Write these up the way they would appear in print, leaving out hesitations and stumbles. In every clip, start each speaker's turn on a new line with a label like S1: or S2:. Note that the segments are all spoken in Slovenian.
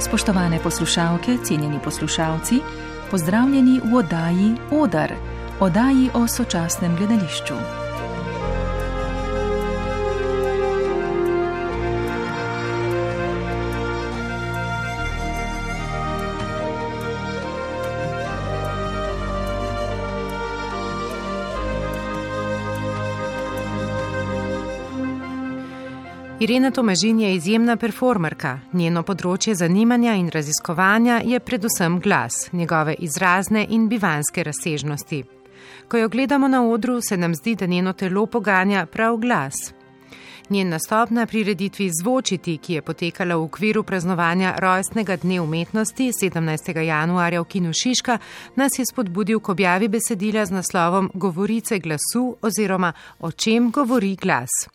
S1: Spoštovane poslušalke, cenjeni poslušalci, pozdravljeni v oddaji Odar, oddaji o sočasnem gledališču.
S2: Irena Tomažin je izjemna performerka. Njeno področje zanimanja in raziskovanja je predvsem glas, njegove izrazne in bivanske razsežnosti. Ko jo gledamo na odru, se nam zdi, da njeno telo poganja prav glas. Njen nastop na prireditvi Zvočiti, ki je potekala v okviru praznovanja rojstnega dne umetnosti 17. januarja v Kinu Šiška, nas je spodbudil k objavi besedila z naslovom Govorice glasu oziroma O čem govori glas.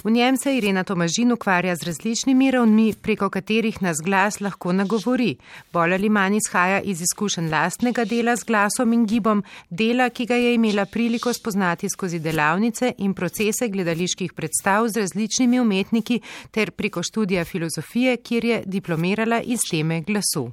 S2: V njem se Irena Tomažin ukvarja z različnimi ravnmi, preko katerih nas glas lahko nagovori. Bolj ali manj izhaja iz izkušenj lastnega dela z glasom in gibom, dela, ki ga je imela priliko spoznati skozi delavnice in procese gledaliških predstav z različnimi umetniki ter preko študija filozofije, kjer je diplomirala iz teme glasu.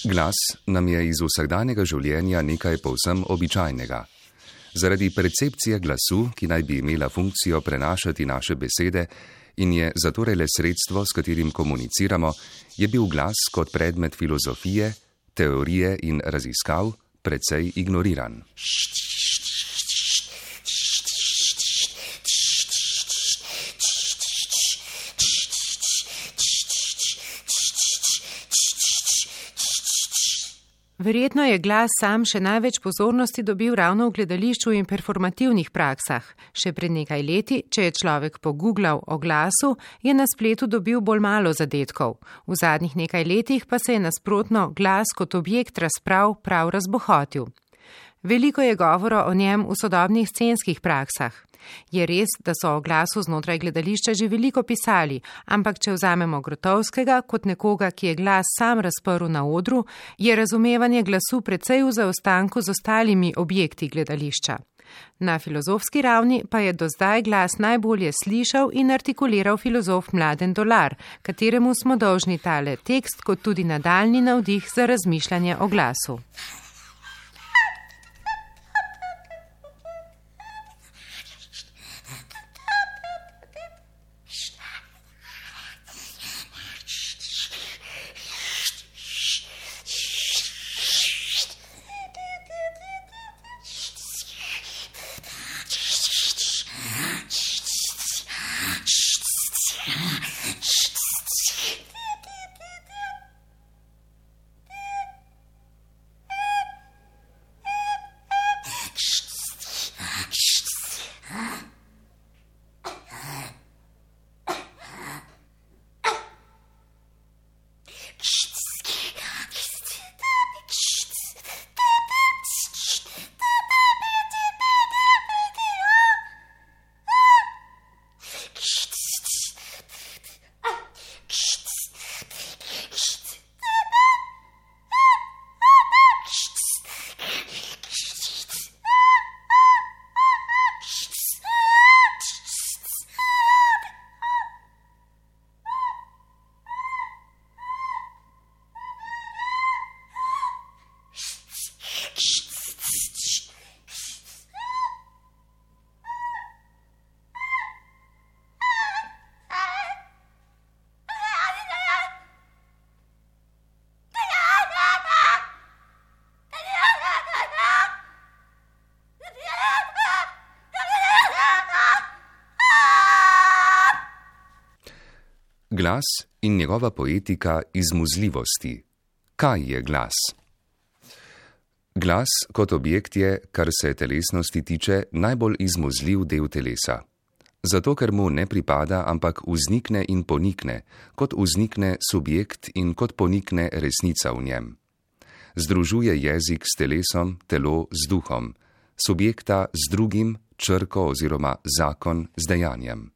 S3: Glas nam je iz vsakdanjega življenja nekaj povsem običajnega. Zaradi percepcije glasu, ki naj bi imela funkcijo prenašati naše besede in je zatorej le sredstvo, s katerim komuniciramo, je bil glas kot predmet filozofije, teorije in raziskav precej ignoriran.
S2: Verjetno je glas sam še največ pozornosti dobil ravno v gledališču in performativnih praksah. Še pred nekaj leti, če je človek pogooglal o glasu, je na spletu dobil bolj malo zadetkov. V zadnjih nekaj letih pa se je nasprotno glas kot objekt razprav prav razbohotil. Veliko je govora o njem v sodobnih scenskih praksah. Je res, da so o glasu znotraj gledališča že veliko pisali, ampak če vzamemo Grotovskega kot nekoga, ki je glas sam razprl na odru, je razumevanje glasu precej v zaostanku z ostalimi objekti gledališča. Na filozofski ravni pa je do zdaj glas najbolje slišal in artikuliral filozof Mladen Dolar, kateremu smo dolžni tale tekst kot tudi nadaljnji navdih za razmišljanje o glasu.
S3: Glas in njegova poetika izmuzljivosti. Kaj je glas? Glas kot objekt je, kar se telesnosti tiče, najbolj izmuzljiv del telesa. Zato, ker mu ne pripada, ampak vznikne in ponikne, kot vznikne subjekt in kot ponikne resnica v njem. Združuje jezik s telesom, telo z duhom, subjekta z drugim, črko oziroma zakon z dejanjem.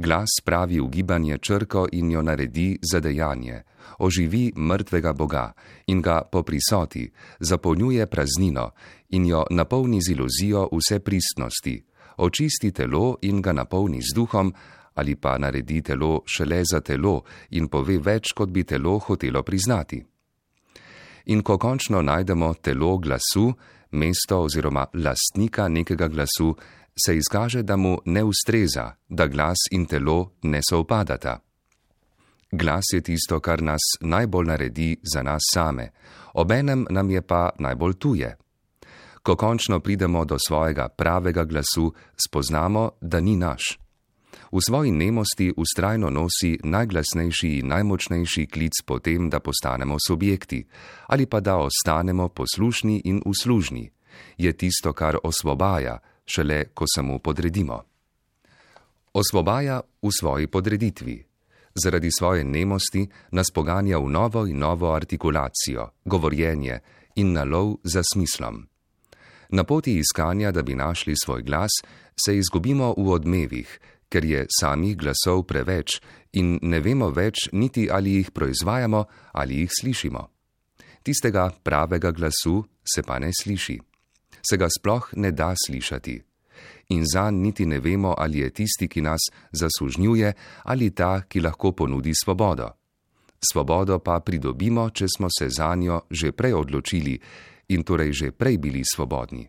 S3: Glas spravi v gibanje črko in jo naredi za dejanje, oživi mrtvega Boga in ga po prisoti, zapolnjuje praznino in jo napolni z iluzijo vse pristnosti, očisti telo in ga napolni z duhom, ali pa naredi telo šele za telo in pove več, kot bi telo hotelo priznati. In ko končno najdemo telo glasu, mesto oziroma lastnika nekega glasu, se izkaže, da mu ne ustreza, da glas in telo ne sovpadata. Glas je tisto, kar nas najbolj naredi za nas same, obenem nam je pa najbolj tuje. Ko končno pridemo do svojega pravega glasu, spoznamo, da ni naš. V svoji nemosti vztrajno nosi najglasnejši in najmočnejši klic po tem, da postanemo subjekti, ali pa da ostanemo poslušni in uslužni. Je tisto, kar osvobaja, šele ko se mu podredimo. Osvobaja v svoji podreditvi. Zaradi svoje nemosti nas poganja v novo in novo artikulacijo, govorjenje in na lov za smislom. Na poti iskanja, da bi našli svoj glas, se izgubimo v odmevih, ker je samih glasov preveč in ne vemo več niti ali jih proizvajamo ali jih slišimo. Tistega pravega glasu se pa ne sliši. Se ga sploh ne da slišati. In zanj niti ne vemo, ali je tisti, ki nas zasužnjuje, ali ta, ki lahko ponudi svobodo. Svobodo pa pridobimo, če smo se zanjo že prej odločili in torej že prej bili svobodni.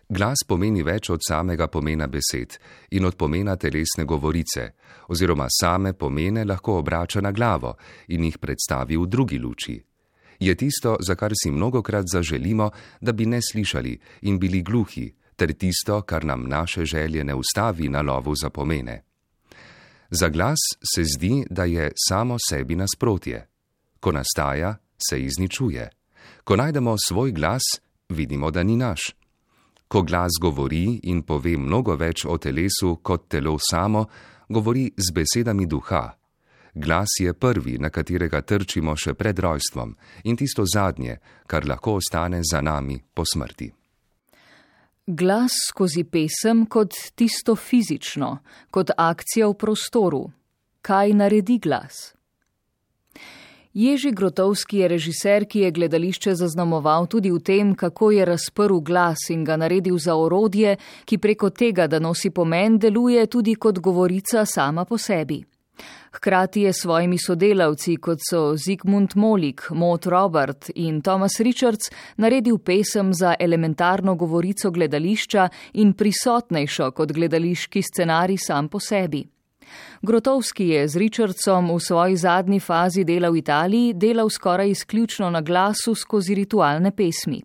S3: Glas pomeni več od samega pomena besed in od pomena telesne govorice, oziroma same pomene lahko obrača na glavo in jih predstavi v drugi luči. Je tisto, za kar si mnogokrat zaželimo, da bi ne slišali in bili gluhi, ter tisto, kar nam naše želje ne ustavi na lovu za pomene. Za glas se zdi, da je samo sebi nasprotje. Ko nastaja, se izničuje. Ko najdemo svoj glas, vidimo, da ni naš. Ko glas govori in pove mnogo več o telesu kot telo samo, govori z besedami duha. Glas je prvi, na katerega trčimo še pred rojstvom, in tisto zadnje, kar lahko ostane za nami po smrti.
S1: Glas skozi pesem kot tisto fizično, kot akcija v prostoru. Kaj naredi glas? Jerzy Grotowski je režiser, ki je gledališče zaznamoval tudi v tem, kako je razprl glas in ga naredil za orodje, ki preko tega, da nosi pomen, deluje tudi kot govorica sama po sebi. Hkrati je s svojimi sodelavci, kot so Zygmunt Molik, Maud Robert in Thomas Richards, naredil pesem za elementarno govorico gledališča in prisotnejšo kot gledališki scenarij sam po sebi. Grotowski je z Richardsom v svoji zadnji fazi dela v Italiji delal skoraj izključno na glasu skozi ritualne pesmi.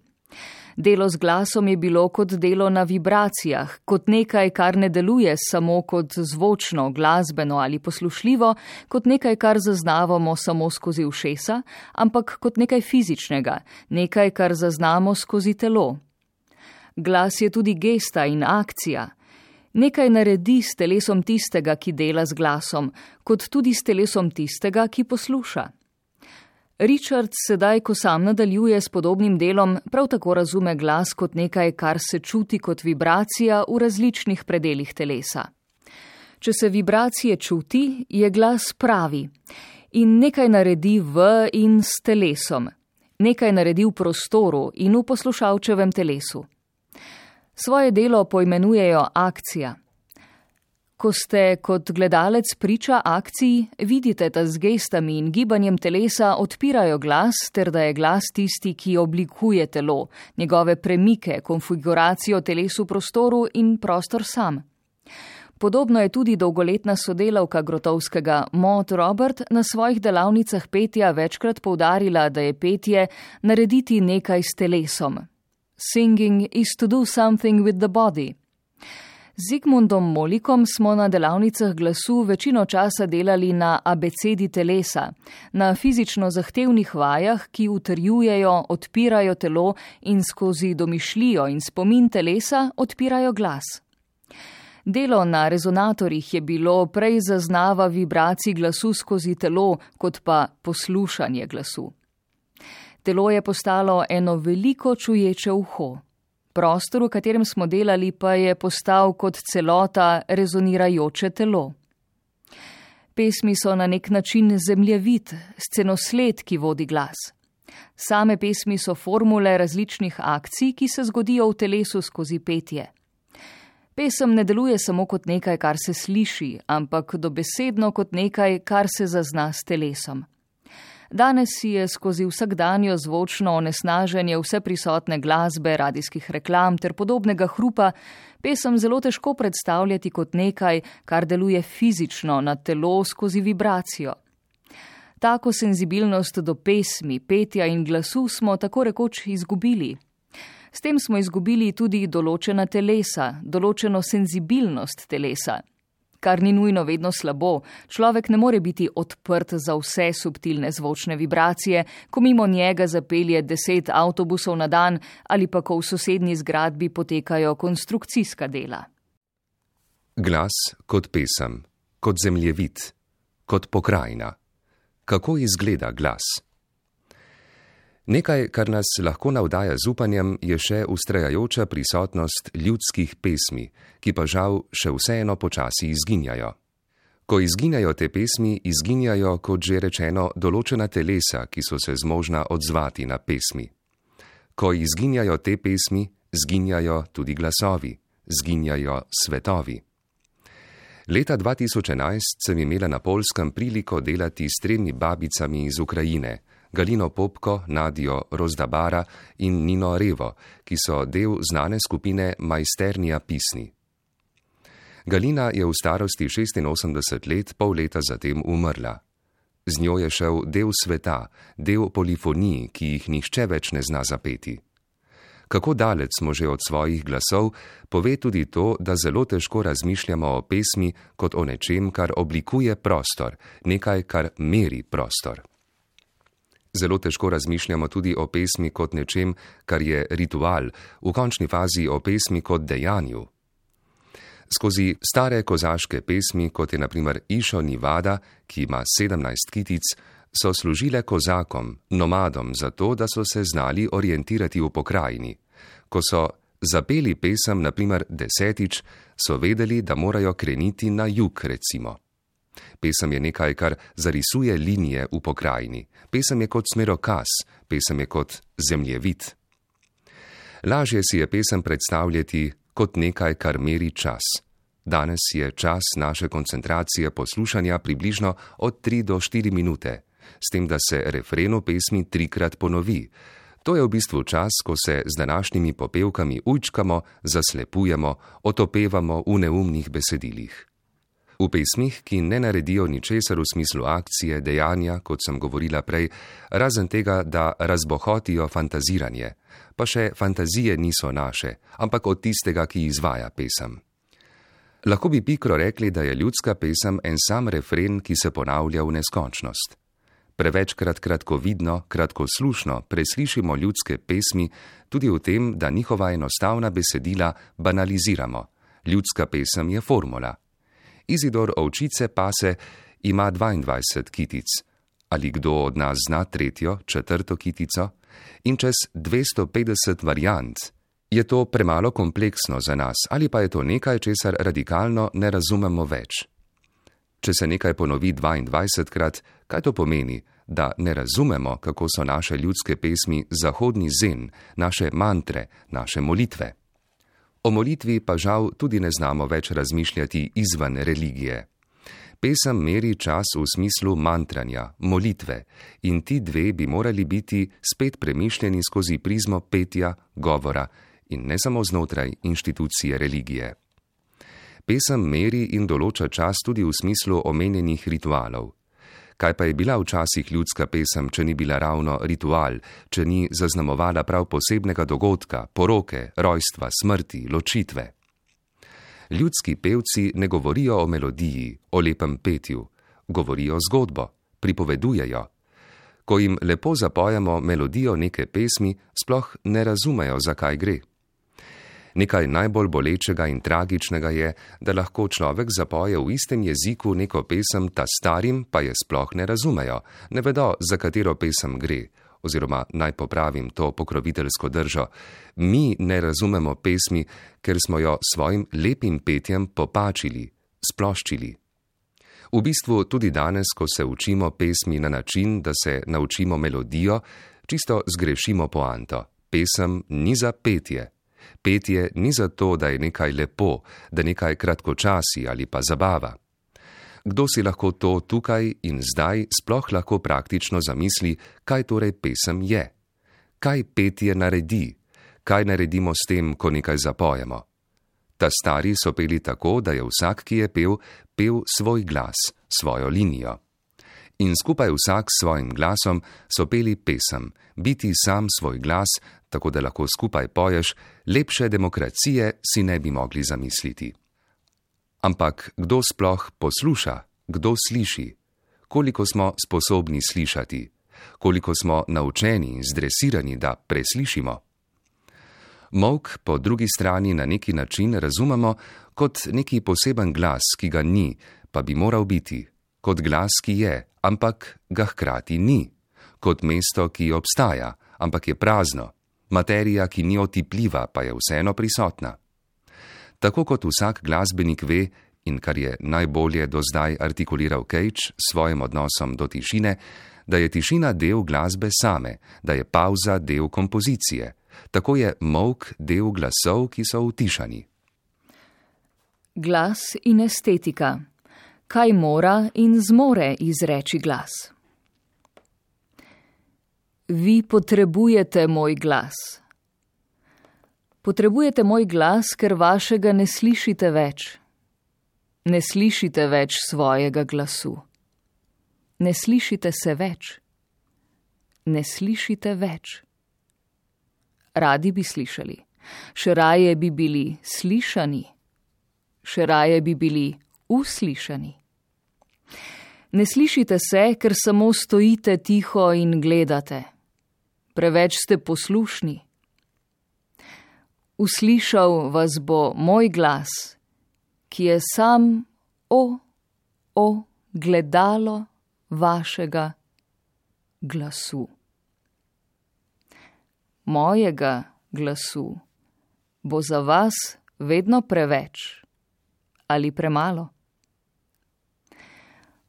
S1: Delo z glasom je bilo kot delo na vibracijah, kot nekaj, kar ne deluje samo kot zvočno, glasbeno ali poslušljivo, kot nekaj, kar zaznavamo samo skozi ušesa, ampak kot nekaj fizičnega, nekaj, kar zaznamo skozi telo. Glas je tudi gesta in akcija. Nekaj naredi s telesom tistega, ki dela z glasom, kot tudi s telesom tistega, ki posluša. Richard sedaj, ko sam nadaljuje s podobnim delom, prav tako razume glas kot nekaj, kar se čuti kot vibracija v različnih predelih telesa. Če se vibracije čuti, je glas pravi in nekaj naredi v in s telesom, nekaj naredi v prostoru in v poslušalčevem telesu. Svoje delo poimenujejo akcija. Ko ste kot gledalec priča akciji, vidite, da z gestami in gibanjem telesa odpirajo glas, ter da je glas tisti, ki oblikuje telo, njegove premike, konfiguracijo telesu prostoru in prostor sam. Podobno je tudi dolgoletna sodelavka Grotowskega Maud Robert na svojih delavnicah petja večkrat poudarila, da je petje narediti nekaj s telesom. Singing is to do something with the body. Z Zygmuntom Molikom smo na delavnicah glasu večino časa delali na abecedi telesa, na fizično zahtevnih vajah, ki utrjujejo, odpirajo telo in skozi domišljijo in spomin telesa odpirajo glas. Delo na rezonatorjih je bilo prej zaznava vibracij glasu skozi telo, kot pa poslušanje glasu. Telo je postalo eno veliko čuječe uho. Prostor, v katerem smo delali, pa je postal kot celota rezonirajoče telo. Pesmi so na nek način zemljevid, scenosled, ki vodi glas. Same pesmi so formule različnih akcij, ki se zgodijo v telesu skozi petje. Pesem ne deluje samo kot nekaj, kar se sliši, ampak dobesedno kot nekaj, kar se zazna s telesom. Danes si je skozi vsakdanjo zvočno onesnaženje vseprisotne glasbe, radijskih reklam ter podobnega hrupa pesem zelo težko predstavljati kot nekaj, kar deluje fizično na telo skozi vibracijo. Tako senzibilnost do pesmi, petja in glasu smo tako rekoč izgubili. S tem smo izgubili tudi določena telesa, določeno senzibilnost telesa. Kar ni nujno vedno slabo, človek ne more biti odprt za vse subtilne zvočne vibracije, ko mimo njega zapelje 10 avtobusov na dan ali pa ko v sosednji zgradbi potekajo konstrukcijska dela.
S3: Glas kot pesem, kot zemljevid, kot pokrajina. Kako izgleda glas? Nekaj, kar nas lahko navdaja z upanjem, je še vztrajajoča prisotnost ljudskih pesmi, ki pa žal še vseeno počasi izginjajo. Ko izginjajo te pesmi, izginjajo, kot že rečeno, določena telesa, ki so se zmožna odzvati na pesmi. Ko izginjajo te pesmi, zginjajo tudi glasovi, zginjajo svetovi. Leta 2011 sem imela na Poljskem priliko delati s 3 babicami iz Ukrajine, Galino Popko, Nadijo Rozdabara in Nino Revo, ki so del znane skupine Majsternija pisni. Galina je v starosti 86 let, pol leta zatem umrla. Z njo je šel del sveta, del polifonij, ki jih nihče več ne zna zapeti. Kako daleč smo že od svojih glasov, pove tudi to, da zelo težko razmišljamo o pesmi kot o nečem, kar oblikuje prostor, nekaj, kar meri prostor. Zelo težko razmišljamo tudi o pesmi kot nečem, kar je ritual, v končni fazi o pesmi kot dejanju. Skozi stare kozaške pesmi, kot je na primer Išo Nivada, ki ima 17 kitic, so služile kozakom, nomadom, zato, da so se znali orientirati v pokrajini. Ko so zapeli pesem, na primer 10, so vedeli, da morajo kreniti na jug, recimo. Pesem je nekaj, kar zarisuje linije v pokrajini. Pesem je kot smerokaz, pesem je kot zemljevid. Lažje si je pesem predstavljati kot nekaj, kar meri čas. Danes je čas naše koncentracije poslušanja približno od 3 do 4 minute, s tem, da se refren v pesmi 3-krat ponovi. To je v bistvu čas, ko se z današnjimi popevkami ujčkamo, zaslepujemo, otopevamo v neumnih besedilih. V pesmih, ki ne naredijo ničesar v smislu akcije, dejanja, kot sem govorila prej, razen tega, da razbohotijo fantaziranje, pa še fantazije niso naše, ampak od tistega, ki izvaja pesem. Lahko bi pikro rekli, da je ljudska pesem en sam refren, ki se ponavlja v neskončnost. Prevečkrat kratkovidno, kratkoslušno preslišimo ljudske pesmi tudi v tem, da njihova enostavna besedila banaliziramo. Ljudska pesem je formula. Izidor Ovčice pase ima 22 kitic. Ali kdo od nas zna 3., 4. kitico? In čez 250 variant. Je to premalo kompleksno za nas ali pa je to nekaj, česar radikalno ne razumemo več? Če se nekaj ponovi 22-krat, kaj to pomeni? Da ne razumemo, kako so naše ljudske pesmi zahodni zen, naše mantre, naše molitve. O molitvi pa žal tudi ne znamo več razmišljati izven religije. Pesem meri čas v smislu mantranja, molitve, in ti dve bi morali biti spet premišljeni skozi prizmo petja, govora in ne samo znotraj inštitucije religije. Pesem meri in določa čas tudi v smislu omenjenih ritualov. Kaj pa je bila včasih ljudska pesem, če ni bila ravno ritual, če ni zaznamovala prav posebnega dogodka, poroke, rojstva, smrti, ločitve? Ljudski pevci ne govorijo o melodiji, o lepem petju, govorijo zgodbo, pripovedujejo. Ko jim lepo zapojemo melodijo neke pesmi, sploh ne razumejo, zakaj gre. Nekaj najbolj bolečega in tragičnega je, da lahko človek zapoje v istem jeziku neko pesem, ta starim pa je sploh ne razumejo, ne vedo, za katero pesem gre. oziroma naj popravim to pokroviteljsko držo, mi ne razumemo pesmi, ker smo jo svojim lepim petjem popačili, sploščili. V bistvu tudi danes, ko se učimo pesmi na način, da se naučimo melodijo, čisto zgrešimo poanto. Pesem ni za petje. Petje ni za to, da je nekaj lepo, da nekaj kratkočasi ali pa zabava. Kdo si lahko to tukaj in zdaj sploh lahko praktično zamisli, kaj torej pesem je? Kaj petje naredi? Kaj naredimo s tem, ko nekaj zapojemo? Ta stari so peli tako, da je vsak, ki je pel svoj glas, svojo linijo. In skupaj vsak s svojim glasom so peli pesem, biti sam svoj glas, tako da lahko skupaj poješ, lepše demokracije si ne bi mogli zamisliti. Ampak kdo sploh posluša, kdo sliši? Koliko smo sposobni slišati? Koliko smo naučeni in zdresirani, da preslišimo? Molk po drugi strani na neki način razumemo kot neki poseben glas, ki ga ni, pa bi moral biti, kot glas, ki je, ampak ga hkrati ni, kot mesto, ki obstaja, ampak je prazno, materija, ki ni otipljiva, pa je vseeno prisotna. Tako kot vsak glasbenik ve, in kar je najbolje do zdaj artikuliral Cage s svojim odnosom do tišine, da je tišina del glasbe same, da je pauza del kompozicije, tako je molk del glasov, ki so utišani.
S1: Glas in estetika. Kaj mora in zmore izreči glas? Vi potrebujete moj glas. Potrebujete moj glas, ker vašega ne slišite več. Ne slišite več svojega glasu. Ne slišite se več. Ne slišite več. Radi bi slišali. Še raje bi bili slišani. Še raje bi bili uslišani. Ne slišite se, ker samo stojite tiho in gledate. Preveč ste poslušni. Uslišal vas bo moj glas, ki je sam gledalo vašega glasu. Mojega glasu bo za vas vedno preveč ali premalo.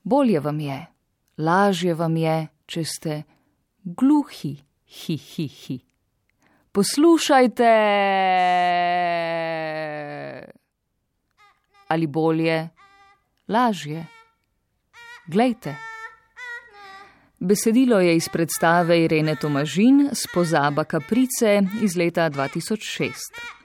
S1: Bolje vam je, lažje vam je, če ste gluhi, hi. Poslušajte! Ali bolje, lažje, glejte. Besedilo je iz predstave Irene Tomažin s Pozaba kaprice iz leta 2006.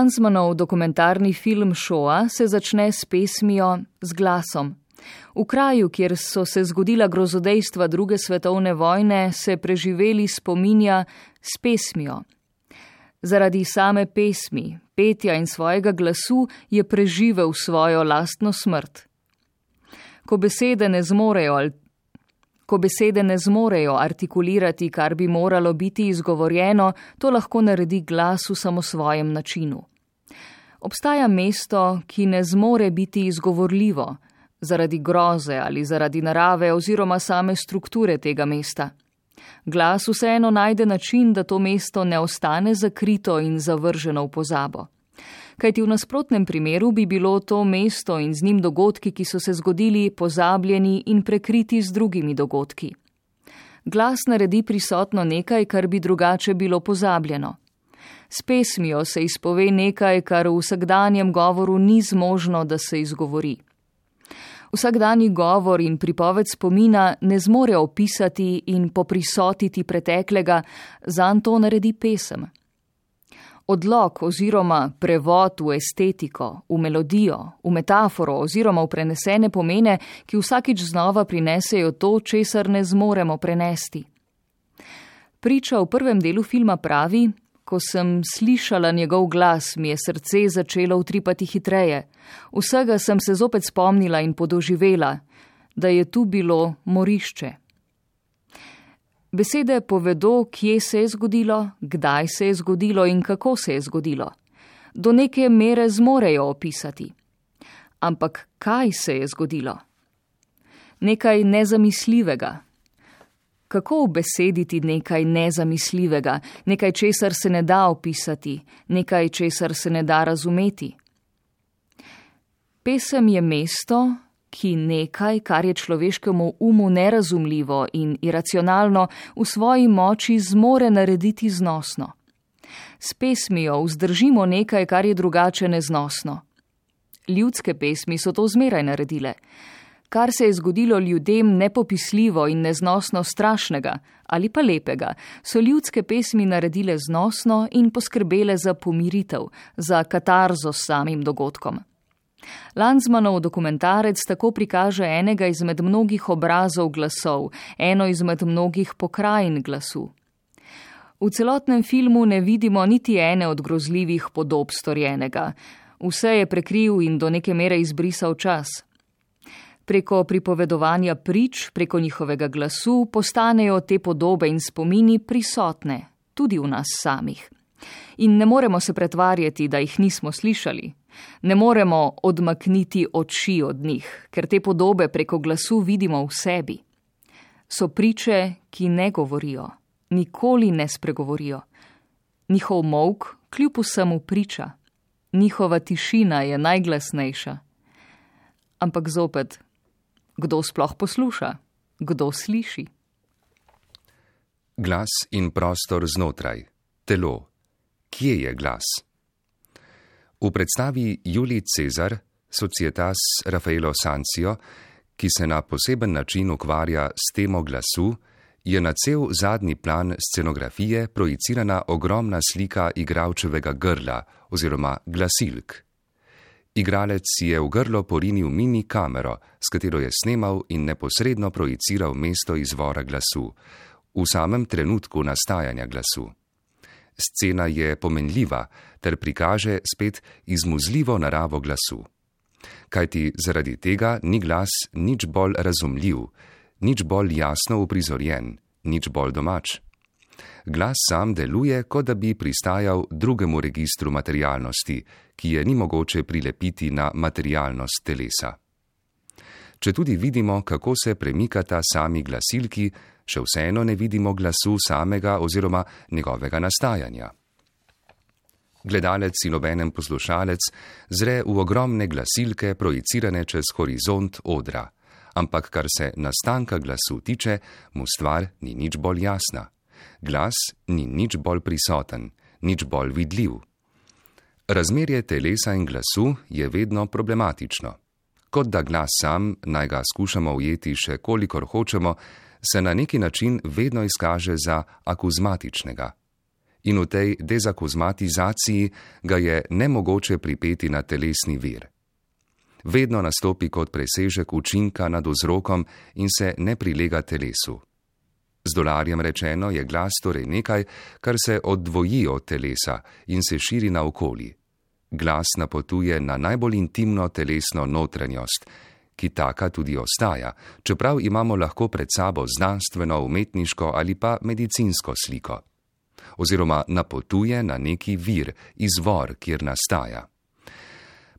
S1: Lanzmannov dokumentarni film Shoah se začne s pesmijo Z glasom. V kraju, kjer so se zgodila grozodejstva druge svetovne vojne, se preživeli spominja s pesmijo. Zaradi same pesmi, petja in svojega glasu je preživel svojo lastno smrt. Ko besede ne zmorejo artikulirati, kar bi moralo biti izgovorjeno, to lahko naredi glas v samosvojem načinu. Obstaja mesto, ki ne zmore biti izgovorljivo, zaradi groze ali zaradi narave oziroma same strukture tega mesta. Glas vseeno najde način, da to mesto ne ostane zakrito in zavrženo v pozabo. Kajti v nasprotnem primeru bi bilo to mesto in z njim dogodki, ki so se zgodili, pozabljeni in prekriti z drugimi dogodki. Glas naredi prisotno nekaj, kar bi drugače bilo pozabljeno. S pesmijo se izpove nekaj, kar v vsakdanjem govoru ni zmožno, da se izgovori. Vsakdanji govor in pripoved spomina ne zmore opisati in poprisotiti preteklega, zanj to naredi pesem. Odlog oziroma prevod v estetiko, v melodijo, v metaforo oziroma v prenesene pomene, ki vsakič znova prinesejo to, česar ne zmoremo prenesti. Priča v prvem delu filma pravi: ko sem slišala njegov glas, mi je srce začelo utripati hitreje. Vsega sem se zopet spomnila in podoživela, da je tu bilo morišče. Besede povedo, kje se je zgodilo, kdaj se je zgodilo in kako se je zgodilo. Do neke mere zmorejo opisati. Ampak kaj se je zgodilo? Nekaj nezamisljivega. Kako ubesediti nekaj nezamisljivega, nekaj, česar se ne da opisati, nekaj, česar se ne da razumeti? Pesem je mesto, ki nekaj, kar je človeškemu umu nerazumljivo in iracionalno, v svoji moči zmore narediti znosno. S pesmijo vzdržimo nekaj, kar je drugače neznosno. Ljudske pesmi so to zmeraj naredile. Kar se je zgodilo ljudem nepopisljivo in neznosno strašnega ali pa lepega, so ljudske pesmi naredile znosno in poskrbele za pomiritev, za katarzo s samim dogodkom. Lanzmannov dokumentarec tako prikaže enega izmed mnogih obrazov glasov, eno izmed mnogih pokrajin glasu. V celotnem filmu ne vidimo niti ene od grozljivih podob storjenega. Vse je prekril in do neke mere izbrisal čas. Preko pripovedovanja prič, preko njihovega glasu, postanejo te podobe in spomini prisotne, tudi v nas samih. In ne moremo se pretvarjati, da jih nismo slišali. Ne moremo odmakniti oči od njih, ker te podobe preko glasu vidimo v sebi. So priče, ki ne govorijo, nikoli ne spregovorijo. Njihov molk kljub vsemu priča. Njihova tišina je najglasnejša. Ampak zopet, kdo sploh posluša? Kdo sliši?
S3: Glas in prostor znotraj. Telo. Kje je glas? V predstavi Julij Cezar, Societas Raffaello Sanzio, ki se na poseben način ukvarja s temo glasu, je na cel zadnji plan scenografije projicirana ogromna slika igralčevega grla oziroma glasilk. Igralec je v grlo porinil mini kamero, s katero je snemal in neposredno projiciral mesto izvora glasu, v samem trenutku nastajanja glasu. Scena je pomenljiva ter prikaže spet izmuzljivo naravo glasu. Kajti zaradi tega ni glas nič bolj razumljiv, nič bolj jasno uprizorjen, nič bolj domač. Glas sam deluje, kot da bi pristajal drugemu registru materialnosti, ki je ni mogoče prilepiti na materialnost telesa. Četudi vidimo, kako se premikata sami glasilki, še vseeno ne vidimo glasu samega oziroma njegovega nastajanja. Gledalec in obenem poslušalec zre v ogromne glasilke projicirane čez horizont odra, ampak kar se nastanka glasu tiče, mu stvar ni nič bolj jasna. Glas ni nič bolj prisoten, nič bolj vidljiv. Razmerje telesa in glasu je vedno problematično. Kot da glas sam, naj ga skušamo ujeti še kolikor hočemo, se na neki način vedno izkaže za akuzmatičnega. In v tej dezakozmatizaciji ga je nemogoče pripeti na telesni vir. Vedno nastopi kot presežek učinka nad vzrokom in se ne prilega telesu. Z dolarjem rečeno je glas torej nekaj, kar se oddvoji od telesa in se širi naokoli. Glas napotuje na najbolj intimno telesno notranjost, ki taka tudi ostaja, čeprav imamo lahko pred sabo znanstveno, umetniško ali pa medicinsko sliko. Oziroma napotuje na neki vir, izvor, kjer nastaja.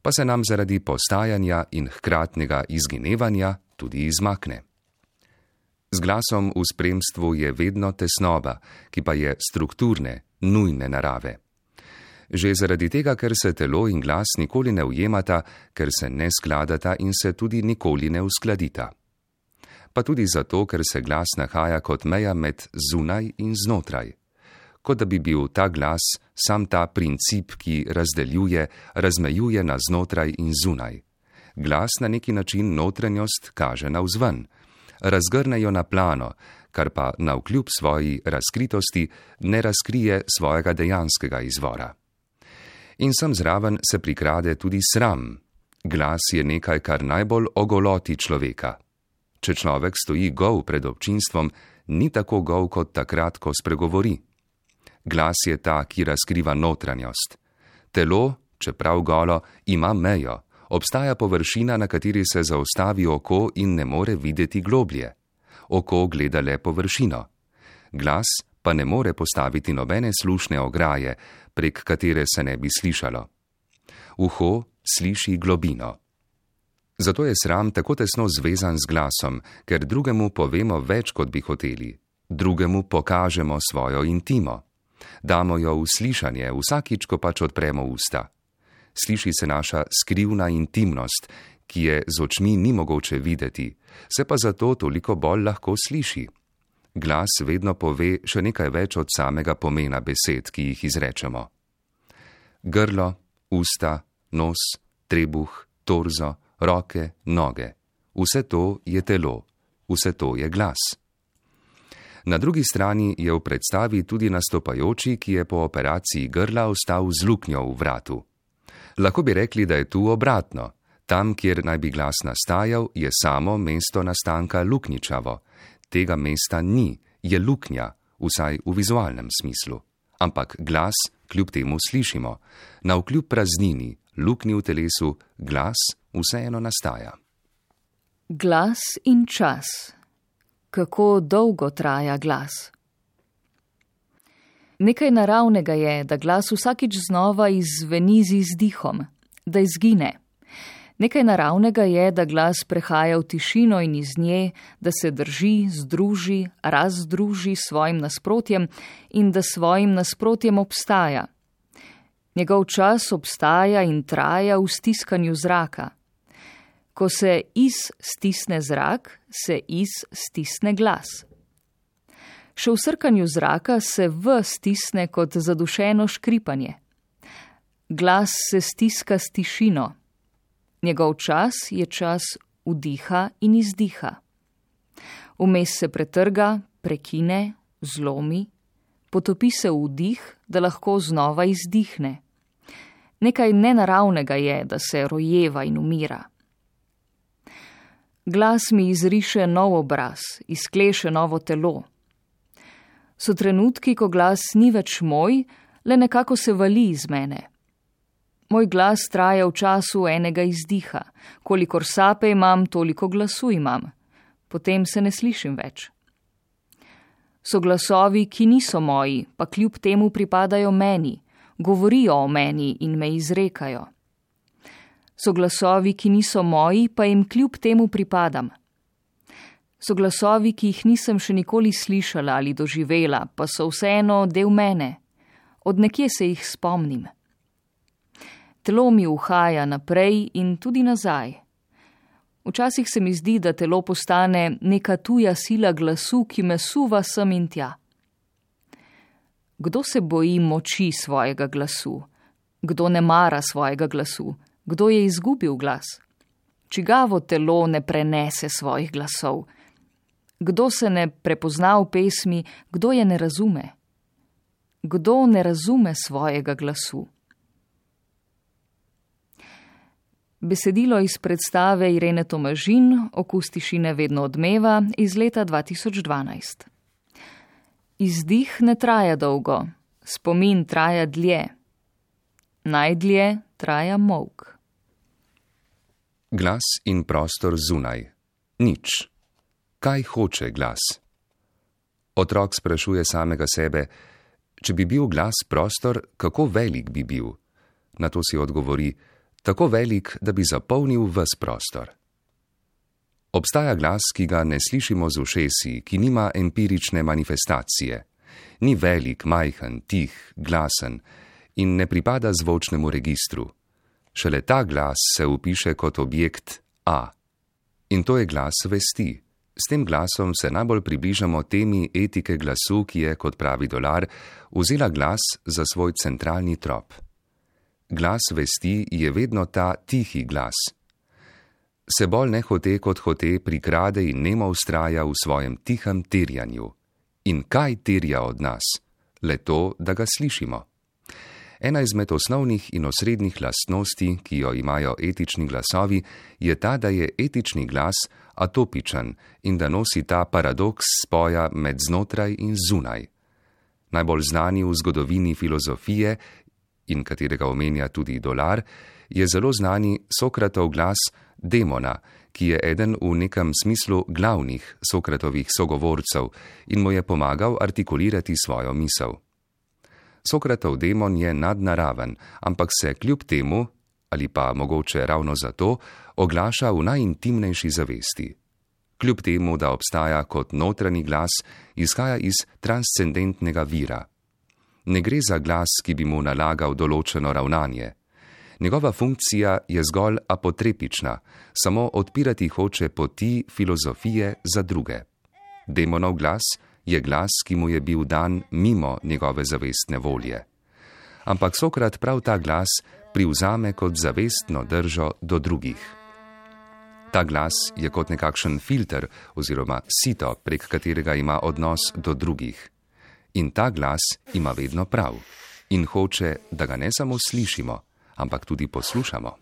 S3: Pa se nam zaradi postajanja in hkratnega izginevanja tudi izmakne. Z glasom v spremstvu je vedno tesnoba, ki pa je strukturne, nujne narave. Že zaradi tega, ker se telo in glas nikoli ne ujemata, ker se ne skladata in se tudi nikoli ne uskladita. Pa tudi zato, ker se glas nahaja kot meja med zunaj in znotraj. Kot da bi bil ta glas sam ta princip, ki razdeljuje, razmejuje na znotraj in zunaj. Glas na neki način notranjost kaže navzven, razgrne jo na plano, kar pa navkljub svoji razkritosti ne razkrije svojega dejanskega izvora. In sem zraven se prikrade tudi sram. Glas je nekaj, kar najbolj ogoloti človeka. Če človek stoji gol pred občinstvom, ni tako gol kot takrat, ko spregovori. Glas je ta, ki razkriva notranjost. Telo, čeprav golo, ima mejo. Obstaja površina, na kateri se zaustavi oko in ne more videti globlje. Oko gleda le površino. Glas pa ne more postaviti nobene slušne ograje, prek katere se ne bi slišalo. Uho sliši globino. Zato je sram tako tesno zvezan z glasom, ker drugemu povemo več, kot bi hoteli. Drugemu pokažemo svojo intimo. Damo jo v slišanje, vsakič, ko pač odpremo usta. Sliši se naša skrivna intimnost, ki je z očmi ni mogoče videti, se pa zato toliko bolj lahko sliši. Glas vedno pove še nekaj več od samega pomena besed, ki jih izrečemo. Grlo, usta, nos, trebuh, torzo, roke, noge. Vse to je telo, vse to je glas. Na drugi strani je v predstavi tudi nastopajoči, ki je po operaciji grla ostal z luknjo v vratu. Lahko bi rekli, da je tu obratno. Tam, kjer naj bi glas nastajal, je samo mesto nastanka luknjičavo. Tega mesta ni, je luknja, vsaj v vizualnem smislu. Ampak glas kljub temu slišimo. Navkljub praznini, luknji v telesu, glas vseeno nastaja.
S1: Glas in čas. Kako dolgo traja glas? Nekaj naravnega je, da glas vsakič znova izzveni z izdihom, da izgine. Nekaj naravnega je, da glas prehaja v tišino in iz nje, da se drži, združi, razdruži s svojim nasprotjem in da svojim nasprotjem obstaja. Njegov čas obstaja in traja v stiskanju zraka. Ko se stisne zrak, se stisne glas. Še v srkanju zraka se stisne kot zadušeno škripanje. Glas se stiska s tišino. Njegov čas je čas vdiha in izdiha. Vmes se pretrga, prekine, zlomi, potopi se v vdih, da lahko znova izdihne. Nekaj nenaravnega je, da se rojeva in umira. Glas mi izriše nov obraz, izkleše novo telo. So trenutki, ko glas ni več moj, le nekako se vali iz mene. Moj glas traja v času enega izdiha. Kolikor sape imam, toliko glasu imam. Potem se ne slišim več. So glasovi, ki niso moji, pa kljub temu pripadajo meni, govorijo o meni in me izrekajo. So glasovi, ki niso moji, pa jim kljub temu pripadam. So glasovi, ki jih nisem še nikoli slišala ali doživela, pa so vseeno del mene. Od nekje se jih spomnim. Telo mi uhaja naprej in tudi nazaj. Včasih se mi zdi, da telo postane neka tuja sila glasu, ki me suva sem in tja. Kdo se boji moči svojega glasu? Kdo ne mara svojega glasu? Kdo je izgubil glas? Čigavo telo ne prenese svojih glasov? Kdo se ne prepozna v pesmi, kdo je ne razume? kdo ne razume svojega glasu. Besedilo iz predstave Irene Tomažin Okus tišine vedno odmeva iz leta 2012. Izdih ne traja dolgo, spomin traja dlje. Najdlje traja molk.
S3: Glas in prostor zunaj. Nič. Kaj hoče glas? Otrok sprašuje samega sebe, če bi bil glas prostor, kako velik bi bil? Na to si odgovori, tako velik, da bi zapolnil ves prostor. Obstaja glas, ki ga ne slišimo z ušesi, ki nima empirične manifestacije. Ni velik, majhen, tih, glasen in ne pripada zvočnemu registru. Šele ta glas se vpiše kot objekt A. In to je glas vesti. S tem glasom se najbolj približamo temi etike glasu, ki je, kot pravi Dolar, vzela glas za svoj centralni trop. Glas vesti je vedno ta tihi glas. Se bolj nehote kot hote prikrade in nemo vztraja v svojem tihem terjanju. In kaj terja od nas? Le to, da ga slišimo. Ena izmed osnovnih in osrednjih lastnosti, ki jo imajo etični glasovi, je ta, da je etični glas atopičen in da nosi ta paradoks spoja med znotraj in zunaj. Najbolj znani v zgodovini filozofije, in katerega omenja tudi Dolar, je zelo znani Sokratov glas demona, ki je eden v nekem smislu glavnih Sokratovih sogovorcev in mu je pomagal artikulirati svojo misel. Sokratov demon je nadnaraven, ampak se kljub temu, ali pa mogoče ravno zato, oglaša v najintimnejši zavesti. Kljub temu, da obstaja kot notranji glas, izhaja iz transcendentnega vira. Ne gre za glas, ki bi mu nalagal določeno ravnanje. Njegova funkcija je zgolj apotrepična, samo odpirati hoče poti filozofije za druge. Demonov glas je glas, ki mu je bil dan mimo njegove zavestne volje. Ampak Sokrat prav ta glas privzame kot zavestno držo do drugih. Ta glas je kot nekakšen filter oziroma sito, prek katerega ima odnos do drugih. In ta glas ima vedno prav in hoče, da ga ne samo slišimo, ampak tudi poslušamo.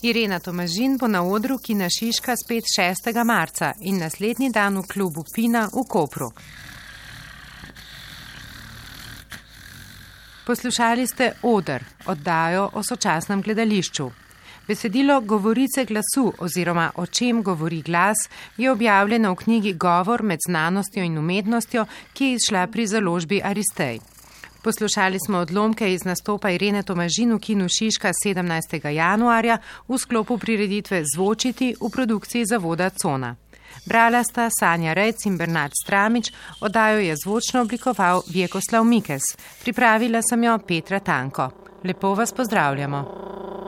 S2: Irena Tomažin bo na odru Kina Šiška spet 6. marca in naslednji dan v klubu Pina v Kopru. Poslušali ste Oder, oddajo o sočasnem gledališču. Besedilo Govorice glasu oziroma O čem govori glas je objavljeno v knjigi Govor med znanostjo in umetnostjo, ki je izšla pri založbi Aristej. Poslušali smo odlomke iz nastopa Irene Tomažin v Kinu Šiška 17. januarja v sklopu prireditve Zvočiti v produkciji Zavoda Cona. Brala sta Sanja Rejc in Bernard Stramič, oddajo je zvočno oblikoval Vjekoslav Mikes. Pripravila sem jo Petra Tanko. Lepo vas pozdravljamo.